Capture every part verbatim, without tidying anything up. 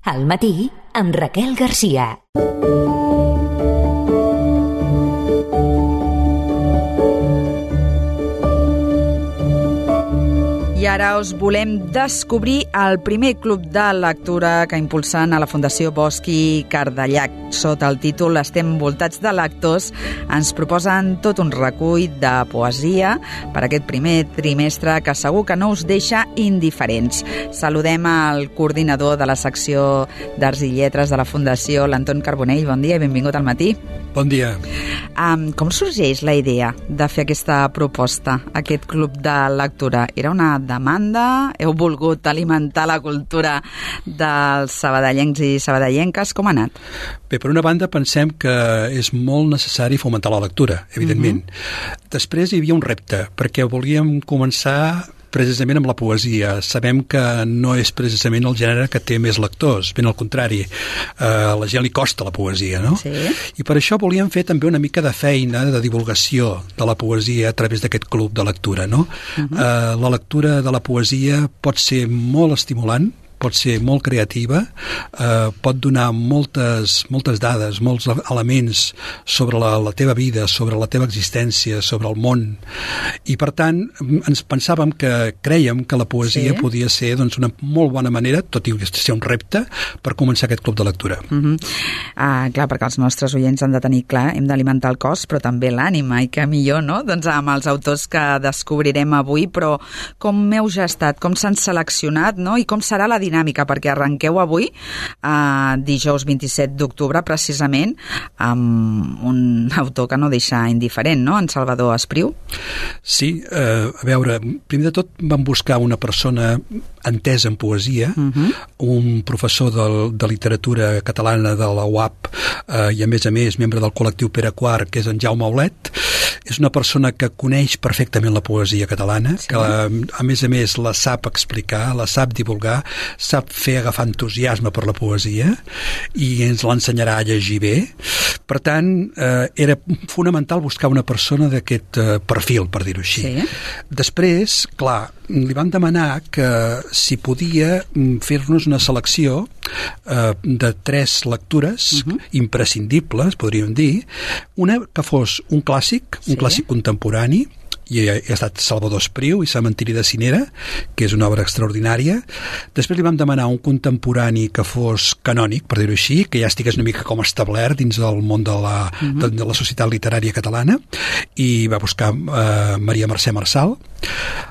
Al matí, amb Raquel Garcia. I ara us volem descobrir el primer club de lectura que impulsen a la Fundació Bosch i Cardellac. Sota el títol Estem voltats de lectors, ens proposen tot un recull de poesia per aquest primer trimestre que segur que no us deixa indiferents. Saludem al coordinador de la secció d'Arts i Lletres de la Fundació, l'Anton Carbonell. Bon dia i benvingut al matí. Bon dia. Um, com sorgeix la idea de fer aquesta proposta, aquest club de lectura? Era una demanda? Heu volgut alimentar la cultura dels sabadellencs i sabadellenques? Com ha anat? Bé, per una banda pensem que és molt necessari fomentar la lectura, evidentment. Uh-huh. Després hi havia un repte, perquè volíem començar precisament amb la poesia. Sabem que no és precisament el gènere que té més lectors, ben al contrari. Uh, a la gent li costa la poesia, no? Sí. I per això volíem fer també una mica de feina de divulgació de la poesia a través d'aquest club de lectura, no? Uh-huh. Uh, la lectura de la poesia pot ser molt estimulant, pot ser molt creativa, eh, pot donar moltes, moltes dades, molts elements sobre la, la teva vida, sobre la teva existència, sobre el món. I, per tant, ens pensàvem que crèiem que la poesia sí. podia ser doncs, una molt bona manera, tot i ser un repte, per començar aquest club de lectura. Uh-huh. Ah, clar, perquè els nostres oients han de tenir clar, hem d'alimentar el cos, però també l'ànima, i que millor, no?, doncs amb els autors que descobrirem avui, però com heu gestat, com s'han seleccionat, no?, i com serà la dinàmica, perquè arrenqueu avui, eh, dijous vint-i-set d'octubre, precisament, amb un autor que no deixa indiferent, no?, en Salvador Espriu. Sí, eh, a veure, primer de tot vam buscar una persona entesa en poesia, uh-huh. un professor de, de literatura catalana de la U A P, eh, i a més a més membre del col·lectiu Pere Quart, que és en Jaume Aulet. És una persona que coneix perfectament la poesia catalana, sí. que a més a més la sap explicar, la sap divulgar, sap fer agafar entusiasme per la poesia i ens l'ensenyarà a llegir bé. Per tant, eh, era fonamental buscar una persona d'aquest eh, perfil, per dir-ho així. Sí. Després, clar, li vam demanar que si podia fer-nos una selecció eh, de tres lectures uh-huh. imprescindibles, podríem dir, una que fos un clàssic, un sí. clàssic contemporani, i ha estat Salvador Espriu i Cementiri de Cinera, que és una obra extraordinària. Després li vam demanar un contemporani que fos canònic, per dir-ho així, que ja estigués una mica com establert dins del món de la, uh-huh. de, de la societat literària catalana, i va buscar eh, Maria Mercè Marçal,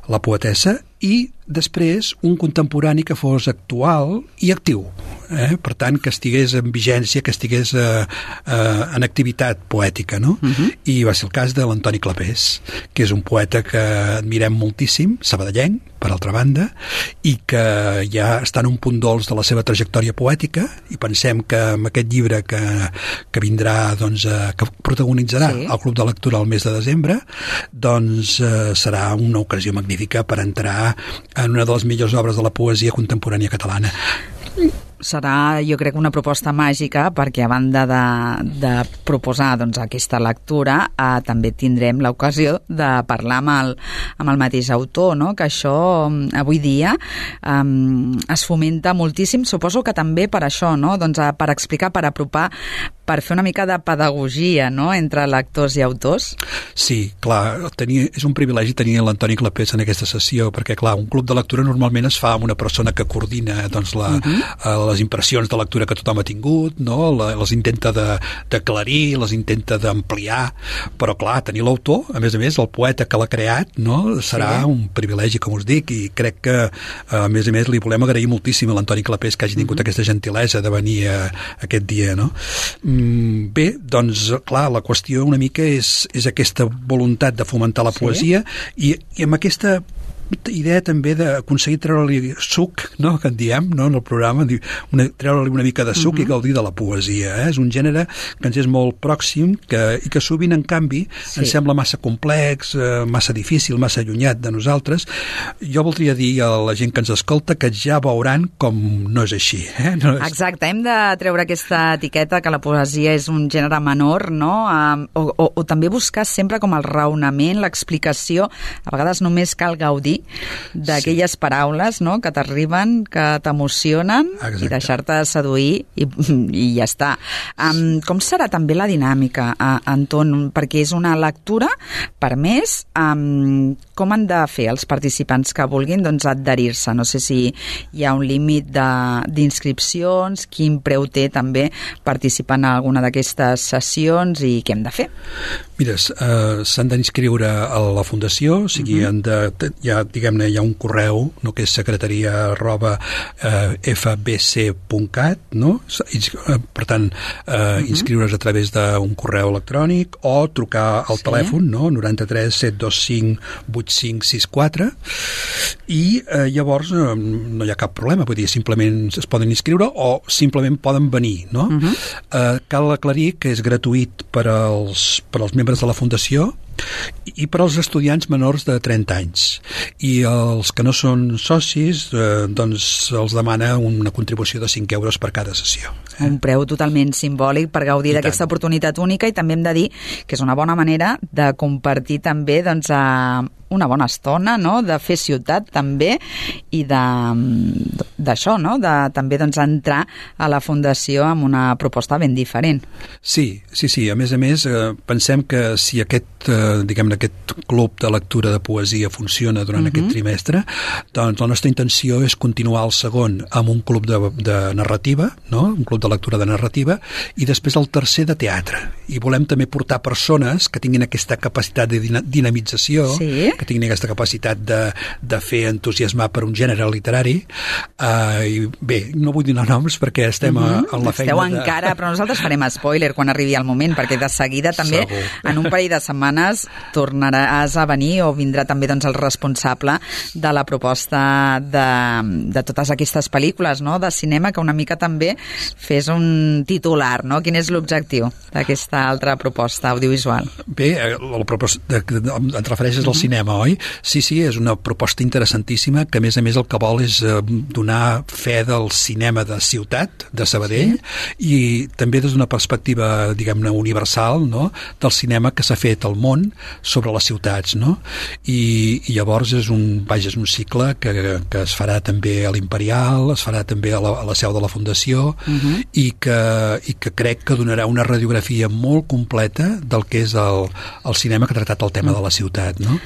la poetessa, i després un contemporani que fos actual i actiu, eh? Per tant que estigués en vigència, que estigués eh, eh, en activitat poètica, no? Uh-huh. I va ser el cas de l'Antoni Clapés, que és un poeta que admirem moltíssim, sabadellenc, per altra banda, i que ja està en un punt dolç de la seva trajectòria poètica, i pensem que amb aquest llibre que, que vindrà, doncs, eh, que protagonitzarà sí. el Club de Lectura al mes de desembre, doncs eh, serà una ocasió magnífica per entrar en una de les millors obres de la poesia contemporània catalana. Serà, jo crec, una proposta màgica, perquè a banda de, de proposar doncs, aquesta lectura, eh, també tindrem l'ocasió de parlar amb el, amb el mateix autor, no? Que això avui dia eh, es fomenta moltíssim, suposo que també per això, no? Doncs, per explicar, per apropar, per fer una mica de pedagogia, no?, entre lectors i autors. Sí, clar, tenia, és un privilegi tenir l'Antoni Clapés en aquesta sessió, perquè, clar, un club de lectura normalment es fa amb una persona que coordina doncs, la, uh-huh. les impressions de lectura que tothom ha tingut, no? La, les intenta d'aclarir, les intenta d'ampliar, però, clar, tenir l'autor, a més a més, el poeta que l'ha creat, no?, serà sí. un privilegi, com us dic, i crec que, a més a més, li volem agrair moltíssim a l'Antoni Clapés que hagi tingut uh-huh. aquesta gentilesa de venir a, a aquest dia, no? Bé, doncs, clar, la qüestió una mica és, és aquesta voluntat de fomentar la poesia sí. i, i amb aquesta idea també d'aconseguir treure-li suc, no?, que en diem, no?, en el programa, una, treure-li una mica de suc uh-huh. i gaudir de la poesia. Eh? És un gènere que ens és molt pròxim que, i que sovint, en canvi, sí. ens sembla massa complex, eh, massa difícil, massa allunyat de nosaltres. Jo voldria dir a la gent que ens escolta que ja veuran com no és així. Eh? No és... Exacte, hem de treure aquesta etiqueta que la poesia és un gènere menor, no?, um, o, o, o també buscar sempre com el raonament, l'explicació. A vegades només cal gaudir gaudir d'aquelles sí. paraules, no?, que t'arriben, que t'emocionen, i deixar-te seduir i, i ja està. Um, com serà també la dinàmica, uh, Anton? Perquè és una lectura, per més, um, com han de fer els participants que vulguin doncs, adherir-se? No sé si hi ha un límit d'inscripcions, quin preu té també participar en alguna d'aquestes sessions i què hem de fer? Mira, uh, s'han d'inscriure a la Fundació, o sigui, uh-huh. han de, ja, diguem-ne, hi ha un correu, no?, que és secretaria arroba uh, f b c punt cat, no? Per tant, uh, uh-huh. inscriure's a través d'un correu electrònic o trucar al sí. telèfon, no?, noranta-tres set dos cinc vuit cinc sis quatre, i uh, llavors uh, no hi ha cap problema, vull dir, simplement es poden inscriure o simplement poden venir, no? Uh-huh. Uh, cal aclarir que és gratuït per als, per als membres de la Fundació i per als estudiants menors de trenta anys, i els que no són socis eh, doncs els demana una contribució de cinc euros per cada sessió. Eh? Un preu totalment simbòlic per gaudir d'aquesta oportunitat única, i també hem de dir que és una bona manera de compartir també doncs, a una bona estona, no?, de fer ciutat també, i d'això, no?, de també doncs, entrar a la Fundació amb una proposta ben diferent. Sí, sí, sí. A més a més, eh, pensem que si aquest, eh, diguem-ne, aquest club de lectura de poesia funciona durant uh-huh. aquest trimestre, doncs la nostra intenció és continuar el segon amb un club de, de narrativa, no?, un club de lectura de narrativa, i després el tercer de teatre. I volem també portar persones que tinguin aquesta capacitat de dinamització, sí. que tinguin aquesta capacitat de, de fer entusiasmar per un gènere literari. Uh, i bé, no vull donar noms perquè estem uh-huh. a, en la feina Esteu de... encara, però nosaltres farem spoiler quan arribi el moment, perquè de seguida també, Segur. en un parell de setmanes, tornaràs a venir, o vindrà també doncs, el responsable de la proposta de, de totes aquestes pel·lícules, no?, de cinema, que una mica també fes un titular, no? Quin és l'objectiu d'aquesta altra proposta audiovisual? Bé, la proposta, et refereixes al cinema, oi? Sí, sí, és una proposta interessantíssima que, a més a més, el que vol és eh, donar fe del cinema de ciutat, de Sabadell, sí. i també des d'una perspectiva, diguem-ne, universal, no?, del cinema que s'ha fet al món sobre les ciutats, no? I, i llavors és un, vaja, és un cicle que, que es farà també a l'Imperial, es farà també a la, a la seu de la Fundació, uh-huh. i, que, i que crec que donarà una radiografia molt completa del que és el, el cinema que ha tractat el tema uh-huh. de la ciutat, no?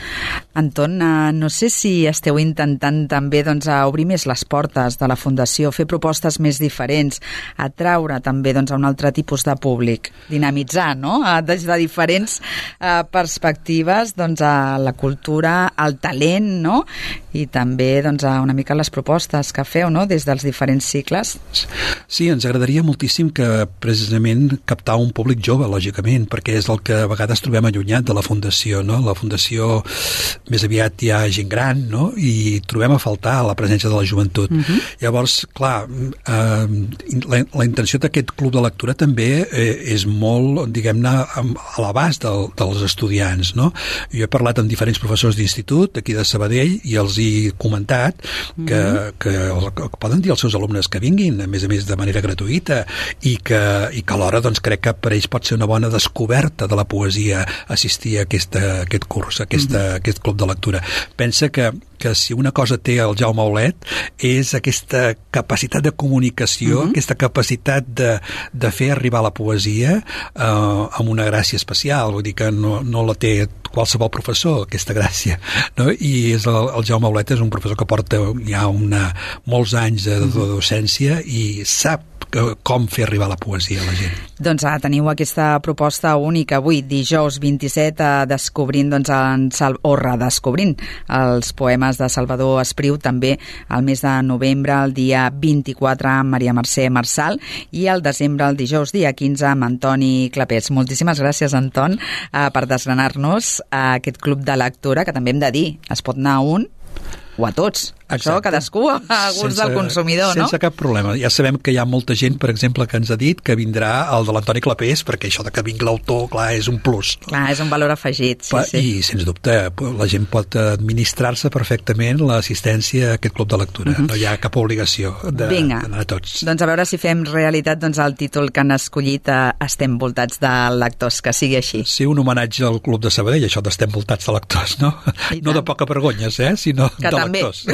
Anton, no sé si esteu intentant també doncs, a obrir més les portes de la Fundació, fer propostes més diferents, atraure també doncs, a un altre tipus de públic, dinamitzar, no?, des de diferents eh, perspectives doncs, a la cultura, al talent, no?, i també doncs, a una mica les propostes que feu, no?, des dels diferents cicles. Sí, ens agradaria moltíssim que precisament captar un públic jove, lògicament, perquè és el que a vegades trobem allunyat de la Fundació, no? La Fundació més aviat hi ha gent gran, no?, i trobem a faltar la presència de la joventut. Uh-huh. Llavors, clar, eh, la, la intenció d'aquest club de lectura també eh, és molt, diguem-ne, a l'abast del, dels estudiants, no? Jo he parlat amb diferents professors d'institut d'aquí de Sabadell i els he comentat que, uh-huh. que, que poden dir als seus alumnes que vinguin, a més a més de manera gratuïta, i que, i que alhora doncs, crec que per ells pot ser una bona descoberta de la poesia assistir a aquesta, aquest curs, a aquesta, uh-huh. aquest club de lectura. Pensa que que si una cosa té el Jaume Aulet és aquesta capacitat de comunicació, uh-huh. aquesta capacitat de, de fer arribar la poesia eh, amb una gràcia especial, vull dir que no, no la té qualsevol professor, aquesta gràcia, no? I és el, el Jaume Aulet és un professor que porta ja una, molts anys de, de docència i sap com fer arribar la poesia a la gent. Doncs ah, teniu aquesta proposta única avui, dijous vint-i-set, eh, descobrint doncs, en Sal... o redescobrint els poemes de Salvador Espriu, també al mes de novembre, el dia vint-i-quatre, amb Maria Mercè Marçal, i el desembre, el dijous, dia quinze, amb Antoni Clapés. Moltíssimes gràcies, Anton, eh, per desgranar-nos a aquest club de lectura, que també hem de dir, es pot anar a un o a tots. Això cadascú a gust sense, del consumidor, no? Sense cap problema. Ja sabem que hi ha molta gent, per exemple, que ens ha dit que vindrà el de l'Antoni Clapés, perquè això de que vingui l'autor, clar, és un plus. Clar, és un valor afegit, sí, Pa, sí. I, sens dubte, la gent pot administrar-se perfectament l'assistència a aquest club de lectura. Uh-huh. No hi ha cap obligació d'anar a tots. Doncs a veure si fem realitat doncs, el títol que han escollit a Estem voltats de lectors, que sigui així. Sí, un homenatge al Club de Sabadell, això d'Estem voltats de lectors, no? No de poca vergonyes, eh? Sinó que de també. lectors.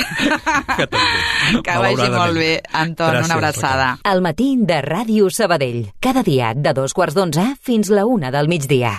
Que també. Que vagi molt bé, Anton, Gràcies, una abraçada. El matí de Ràdio Sabadell, cada dia de dos quarts d'onze fins la una del migdia.